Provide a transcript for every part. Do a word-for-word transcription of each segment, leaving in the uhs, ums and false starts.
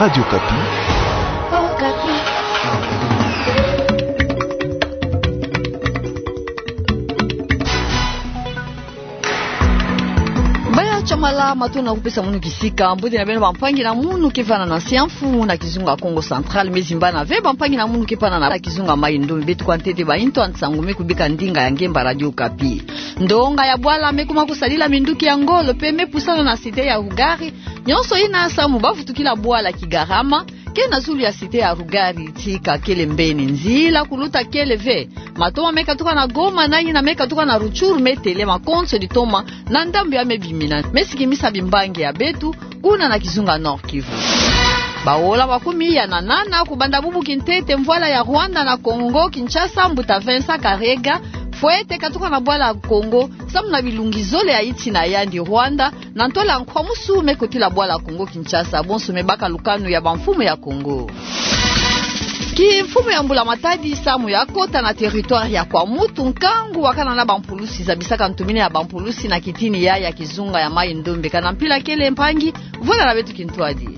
Radio Okapi. Baya Chamala, matondo na kupesa munu kisika. Mbote na beno bampangi na munu ke vanda na nsi ya mfumu na kizunga Kongo Central, me zimbana ve bampangi na munu ke vanda na kizunga Mai-Ndombe. Beto kwa ntete ba intu ya nsangu me kubika ndinga ya ngemba Radio Okapi. Ndonga ya bwala me kuma kusadila minduki ya ngolo pe me pusana na cité ya Rugari. Nyonso yina samu bavutukila bwala Kigarama, ke na zulu ya cité ya Rugari, tika kele mbeni. Nzila kuluta kele ve. Matoma me katuka na Goma, na yina me katuka na Rutshuru me telema konso ditoma na ndambu ya me bimina. Me sikimisa bimbangi ya beto kuna na kizunga Nord-Kivu. Baola makumi iya na nana kubanda bubu kintete mvwala ya Rwanda na Congo Kinshasa, mbuta Vincent Karega, fwete katuka na bwala Congo samu na bilungi zole ya iti na yandi Rwanda, na ntwala nkwa musu me kotila bwala Congo Kinshasa, bonso me baka lukanu ya bamfumu ya Congo. Kimfumu ya Mbula Matadi samu ya kota na territoire ya Kwamouth, nkangu wakana na bampulusi zabisaka ntumini ya bampulusi na kitini ya, ya kizunga ya Mai-Ndombe. Kana mpila kele mpangi, vwela na beto kintwadi.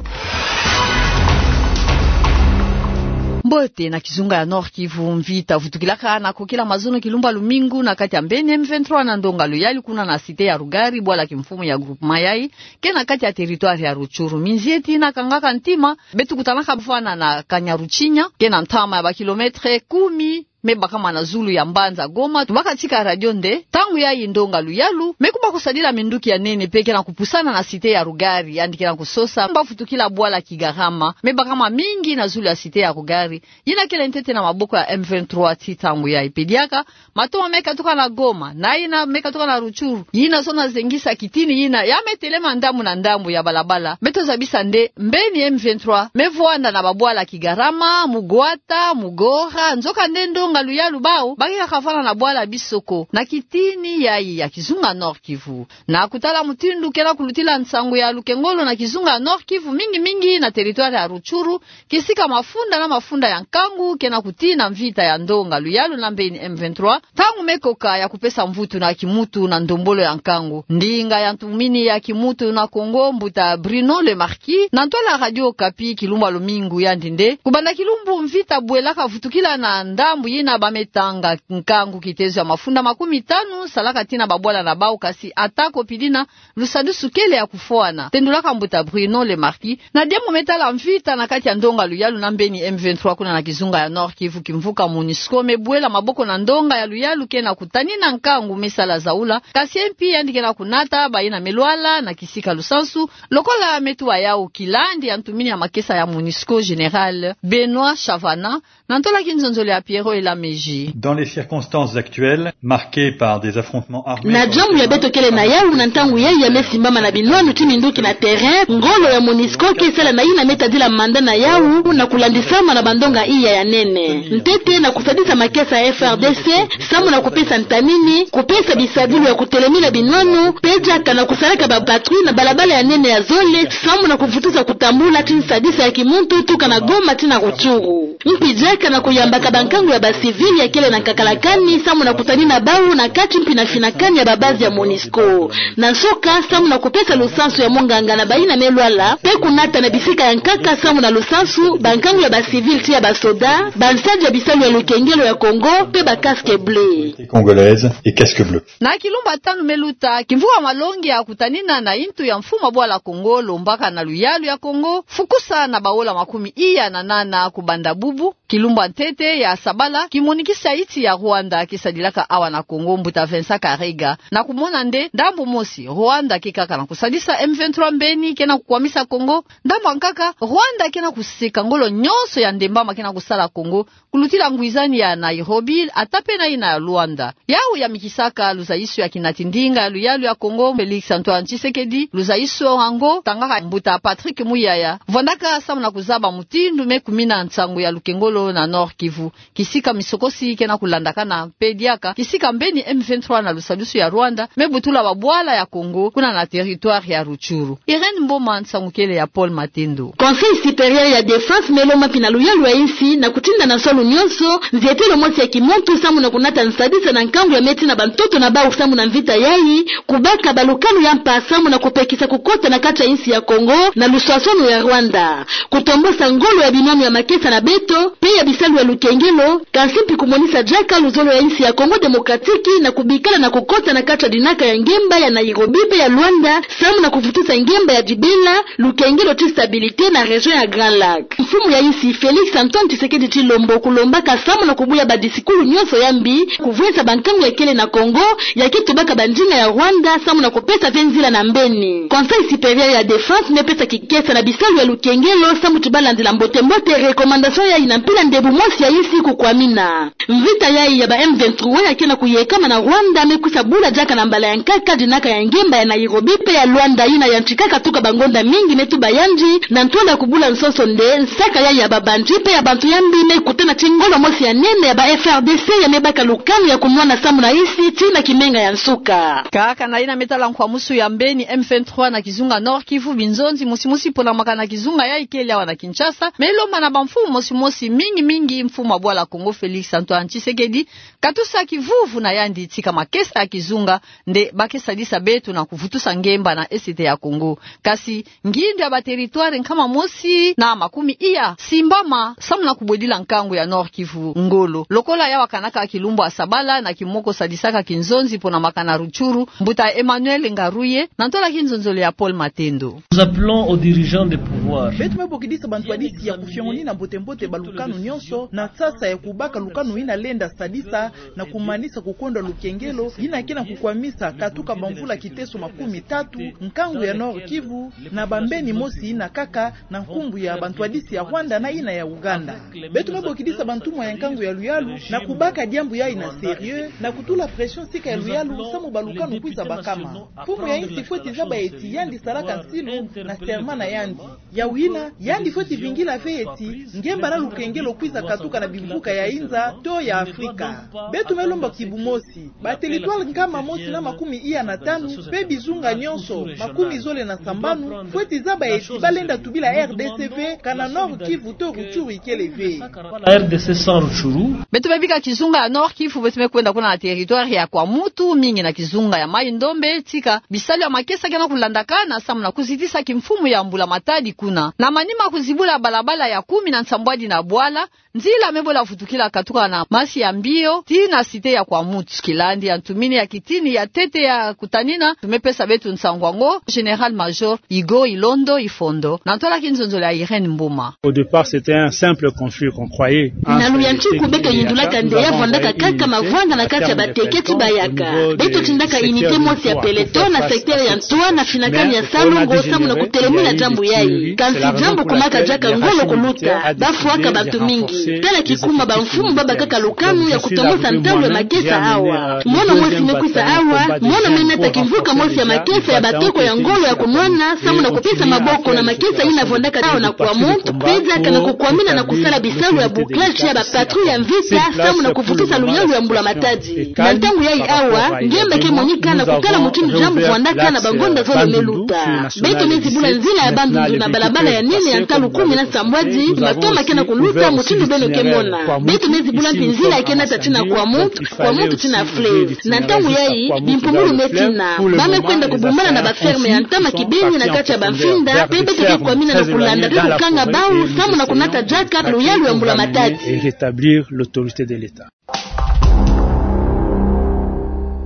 Mbote na kizunga ya Nord-Kivu, mvita vutukilaka na kokila mazono kilumbu ya lumingu na kati ya mbeni M vingt-trois na ndonga Luyalu kuna na cité ya Rugari, bwala kimfumu ya groupement yayi ke na kati ya territoire ya Rutshuru. Minzieti yina kangaka ntima, beto kutanaka bavwanda na Kanyaruchinya, ke na ntama ya bakilomètre kumi me bakama na zulu ya mbanza Goma. Tubaka tika radio nde, ntangu yayi ndonga Luyalu me kuma kusadila minduki ya nene pe ke na kupusana na cité ya Rugari, yandi ke na kusosa bavutukila bwala Kigarama, me bakama mingi na zulu ya cité ya Rugari, yina kele ntete na maboko ya M vingt-trois ti ntangu yayi. Pe diaka matoma me katuka na Goma, na yina me katuka na Rutshuru, yina zona zengisa kitini yina ya me telema ndambu na ndambu ya balabala. Beto zabisa nde mbeni M vingt-trois me vwanda na babwala Kigarama, Mugwata, Mugora, nzoka nde ndonga Luyalu bawu ba ke kaka vwanda na bwala Bisoko na kitini yayi ya kizunga Nord-Kivu. Na kutala mutindu ke na kulutila nsangu ya lukengolo na kizunga Nord-Kivu, mingi mingi na territoire ya Rutshuru, kisika mafunda na mafunda ya nkangu ke na kutina mvita ya ndonga Luyalu na mbeni M vingt-trois, ntangu me koka ya kupesa mvutu na kimutu na ndombolo ya nkangu. Ndinga ya ntumini ya kimutu na Congo, mbuta Bruno Le Marquis, na ntwala Radio Okapi kilumbu ya lumingu, yandi nde: kubanda kilumbu mvita bwelaka vutukila na ndambu yina ba me tanga nkangu kitezo ya mafunda makumi tanu salaka tina babwala na bawu, kasi ata ko pidina, lusadusu kele ya kufwana, tendulaka mbuta Bruno Le Marquis. Na diambu me tala mvita na kati ya ndonga Luyalu na mbeni M vingt-trois kuna na kizunga ya Nord-Kivu, kimvuka MONUSCO me bwela maboko na ndonga ya Luyalu ke na kutanina nkangu me sala zaula, kasi mpi yandi ke na kunata bayina me lwala na kisika lusansu, lokola me tuba yawu kilandi ya ntumini ya makesa ya MONUSCO, général Benoît Chavana, na ntwala kinzonzolo ya Pierrot Elameji. Dans les circonstances actuelles, marquées par des affrontements armés... Na diambu ya beto kele na yawu na ntangu yayi ya me simbama na binwanu ti minduki na terrain, ngolo ya MONUSCO ke sala na yina me tadila mandat na yawu na kulandisama na bandonga iya ya nene. Ntete na kusadisa makesa ya F R D C, samu na kupesa ntanini, kupesa bisadulu ya kutelemina binwanu, pe diaka na kusalaka ba patrouille na balabala ya nene ya zole, samu na kuvutusa kutambula ti nsadisa ya kimuntu tuka na Goma tii na Rutshuru. Mpi diaka na kuyambaka bankangu ya ba civil ya kele na nkakalakani, samu na kutanina bawu na kati mpi na finakani ya ba base ya MONUSCO. Na nsoka, samu na kupesa lusansu ya monganga na bayina me lwala, pe kunata na bisika ya nkaka samu na lusansu bankangu ya ba civil tii ya ba soda, bansadi ya bisalu ya lukengelo ya Congo, pe ba casque bleu. Congolaise et casque bleu. Na kilumbu ya tanu me luta, kimvuka malongi ya kutanina na yintu ya mfumu ya bwala Congo, lombaka na Luyalu ya Congo fukusa na baola makumi iya na nana kubanda bubu, kilumbu ya ntete ya sabala, kimonikisi ya yinti ya Rwanda kisadilaka awa na Congo, mbuta Vincent Karega, na kumona nde ndambu mosi Rwanda ke kaka na kusadisa M vingt-trois mbeni ke na kukwamisa Congo, ndambu ya nkaka Rwanda ke na kuseka ngolo nyonso ya ndembama ke na kusala Congo, kulutila ngwizani ya Nairobi, ata pe na yina ya Luanda. Yawu yamikisaka luzayisio ya kinati ndinga ya Luyalu ya Congo, Félix Antoine Tshisekedi, luzayisio yango tangaka mbuta Patrick Muyaya, vwandaka samu na kuzaba mutindu me kumina nsangu ya lukengolo lukengelo na Nord-Kivu, kisika misokosi ke na kulandakana mpe diaka kisika mbeni M vingt-trois na lusadusu ya Rwanda me butula babwala ya Congo kuna na territoire ya Rutshuru. Irène Mboma, nsangu kele ya Paul Matendo. Conseil supérieur ya défense me lomba mpina luyalu ya insi na kutinda na nsolo nyonso nzietelo mosi ya kimuntu samu na kunata nsadisa na nkangu ya me tina bantoto na bau samu na mvita yayi, kubaka balukanu ya mpa samu na kupekisa kukota na kati ya insi ya Congo na luswaswanu ya Rwanda, kutombosa ngolo ya binwanu ya makesa na beto mpe ya bisalu ya lukengelo, kansi mpi kumonisa diaka luzolo ya insi ya Congo Démocratique na kubikala na kukota na kati ya dinaka ya ngemba ya Nairobi mpe ya Luanda samu na kuvutusa ngemba ya dibela, lukengelo ti stabilité na région ya Grand Lac. Mfumu ya insi Félix Antoine Tshisekedi Tshilombo kulombaka samu na kubuya badisikulu nyonso ya mbi, kuvwesa bankangu ya kele na Congo, ya ke tubaka bandinga ya Rwanda samu na kupesa ve nzila na mbeni. Conseil supérieur ya défense me pesa kikesa na bisalu ya lukengelo samu ti balandila mbote-mbote recommandation yayi na mpila ndebu mosi ya insi kukwamina. Mvita yayi ya ba M vingt-trois ya ke na kuyekama na Rwanda me kwisa bula diaka na mbala ya nkaka dinaka ya ngemba ya Nairobi mpe ya Luanda yina yantikaka tuka bangonda mingi me tuba yandi na ntwala ya kubula nsonso nde nsaka yayi ya babanzi mpe ya bantu ya mbi me kutana ti ngolo mosi ya nene ya ba F A R D C ya me baka lukanu ya kunwana samu na insi tii na kimenga ya nsuka. Kaka na yina me tala nkwamusu ya mbeni M vingt-trois na kizunga Nord-Kivu, binzonzi mosi mosi mpo na makana kizunga yayi kele awa na Kinshasa me lomba na bamfumu mosi mosi, mingi mingi mfumu ya bwala Congo Félix Antoine Tshisekedi, katusa kivuvu na yandi tika makesa ya kizunga nde ba ke sadisa beto na kuvutusa ngemba na Est ya Congo. Kasi ngindu ya ba territoire nkama mosi na makumi iya simbama samu na kubwedila nkangu ya Nord-Kivu ngolo. Lokola ya wakanaka kilumbu ya sabala na kimoko sadisaka kinzonzi mpo na makana Rutshuru, mbuta Emmanuel Ngaruye, na ntwala ya kinzonzolo ya Paul Matendo. Nous appelons aux dirigeants des pouvoirs. Beto me bokidisa bantwadisi ya kufiongonina mbote-mbote balukanu nyonso na sasa ya kubaka lukanu yina lenda sadisa na kumanisa kukonda lukengelo yina ke na kukwamisa katuka bamvula kiteso makumi tatu nkangu ya Nord-Kivu na bambeni mosi yina kaka na nkumbu ya bantwadisi ya Rwanda na yina ya Uganda. Beto me bokidisa bantumwa ya nkangu ya luyalu na kubaka diambu yayi na sérieux na kutula pression sika ya luyalu samu balukanu kwisa bakama. Mfumu ya insi fweti zaba eti yandi salaka nsilu na serment na yandi. Yawu yina, yandi fweti vingila ve eti ngemba na lukengelo kwiza katuka na bimvuka ya inza to ya Afrika. Beto me lomba kibumosi, ba territoire nkama mosi na makumi iya na tanu mpe bizunga nyonso makumi zole na sambanu fweti zaba eti balenda tubila R D C ve kana Nord-Kivu to Rutshuru ikele ve. La R D C sans Rutshuru. Beto me bika kizunga ya Nord-Kivu, beto me kwenda kuna na territoire ya Kwamouth, mingi na kizunga ya Maï-Ndombe, tika bisalu ya makesa ke na kulandakana samu na kuzitisa kimfumu ya Mbula Matadi kuna. Na manima kuzibula balabala ya kumi na nsambwadi na bwala, nzila me bola vutukila katuka na Masi-Mbiyo tii na cité ya Kwamouth. Kilandi ya ntumini ya kitini ya ntete ya kutanina, tu me pesa beto nsangu yango Général-Major Hugo Ilondo Ifondo, na ntwala ya kinzonzolo ya Irène Mboma. Au départ, c'était un simple conflit qu'on croyait entre les Tetu et les Yaka. Na luyantiku beke yindulaka nde ya vwandaka kaka mavwanda na kati ya Bateke ti Bayaka. Beto tindaka unité mosi ya peloton na secteur ya Ntoa na finakani ya Salu-Ngongo samu na kutelemina diambu yayi. Kansi diambu kumaka diaka ngolo kuluta, bafwaka bantu mingi. Tala kikuma bamfumu babakaka lukanu ya kutombosa ntangu ya makesa awa. Mono mosi me kwisa awa, mono me nata kimvuka mosi ya makesa ya batoko ya ngolo ya kunwana samu na kupesa maboko na makesa yina vwandaka awa na Kwamouth, mpe diaka na kukwamina na kusala bisalu ya bouclage ya ba patrouille ya mvita samu na kuvutusa luyalu ya Mbula Matadi. Na ntangu yayi awa, ngemba ke monika na kutala mutindu diambu vwandaka na bangonda zole me luta. Beto me zibula nzila ya Bandundu na balabala ya nene ya ntalu kumi na nsambwadi, matoma ke na kuluta mutindu beno ke mona. Beto me zibula mpi nzila ke nata tii na Kwamouth, Kwamouth tii na fleuve. Na ntangu yayi, bimpumbulu me tina. Ba me kwenda kubumbana na ba ferme ya ntama kibeni na kati ya bamfinda, mpe beto ke kwamina na kulanda mpe kukanga bau, samu na kunata diaka luyalu ya Mbula Matadi. Et rétablir l'autorité de l'État.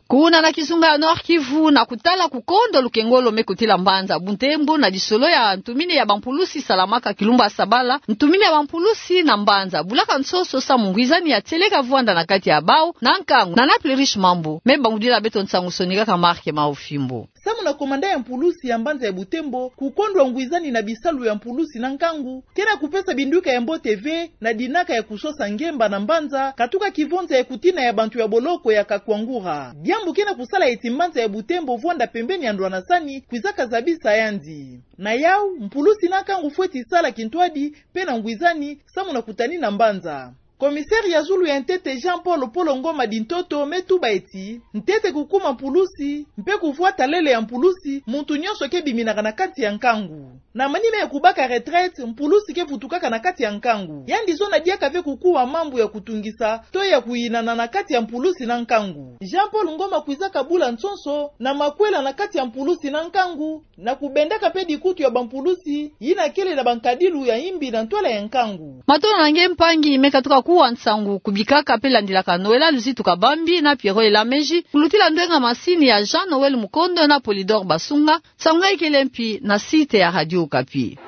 Kuna na kizunga ya Nord-Kivu, na kutala kukondo lukengolo me kotila mbanza Butembo na lisolo ya ntumini ya bampulusi salamaka kilumbu ya sabala, ntumini ya bampulusi na mbanza bulaka nsonso samu ngwizani ya tieleka vwanda na kati ya bau na nkangu. Nana Plurish Mambu me bangudila beto nsangu, sonika ka Marc Maofimbo. samu na komanda ya mpulusi ya mbanza ya Butembo kukondwa ngwizani na bisalu ya mpulusi na nkangu, ke na kupesa binduka ya mbote ve na dinaka ya kusosa ngemba na mbanza katuka kivonza ya kutina ya bantu ya boloko ya Kakwangura. Diambu ke na kusala eti mbanza ya Butembo vwanda pembeni ya ndwanasani kwizaka zabisa yandi. Na yau, mpulusi na nkangu fweti sala kintwadi mpe na ngwizani samu na kutanina mbanza. Commissaire ya zulu ya ntete Jean-Paul Polo Ngoma Dintoto me tuba eti, ntete kukuma mpulusi mpe kuvwa talele ya mpulusi, muntu nyonso ke biminaka na kati ya nkangu. Na manima ya kubaka retraite, mpulusi ke vutukaka na kati ya nkangu. Yandi zona diaka ve kukuma mambu ya kutungisa to ya kuyinana na kati ya mpulusi na nkangu. Jean-Paul Ngoma kwizaka bula nsonso na makwela na kati ya mpulusi na nkangu, na kubendaka mpe dikutu ya bampulusi yina kele na bankadilu ya imbi na ntwala ya nkangu. Matondo na nge mpangi me katuka kuwa nsangu kubikaka mpe landilaka Noëlla Luzitu Kabambi na Pierrot Elameji, kulutila ndwenga masini ya Jean Noël Mukondo na Polydor Basunga, nsangu ngai kele mpi na site ya Radio Okapi.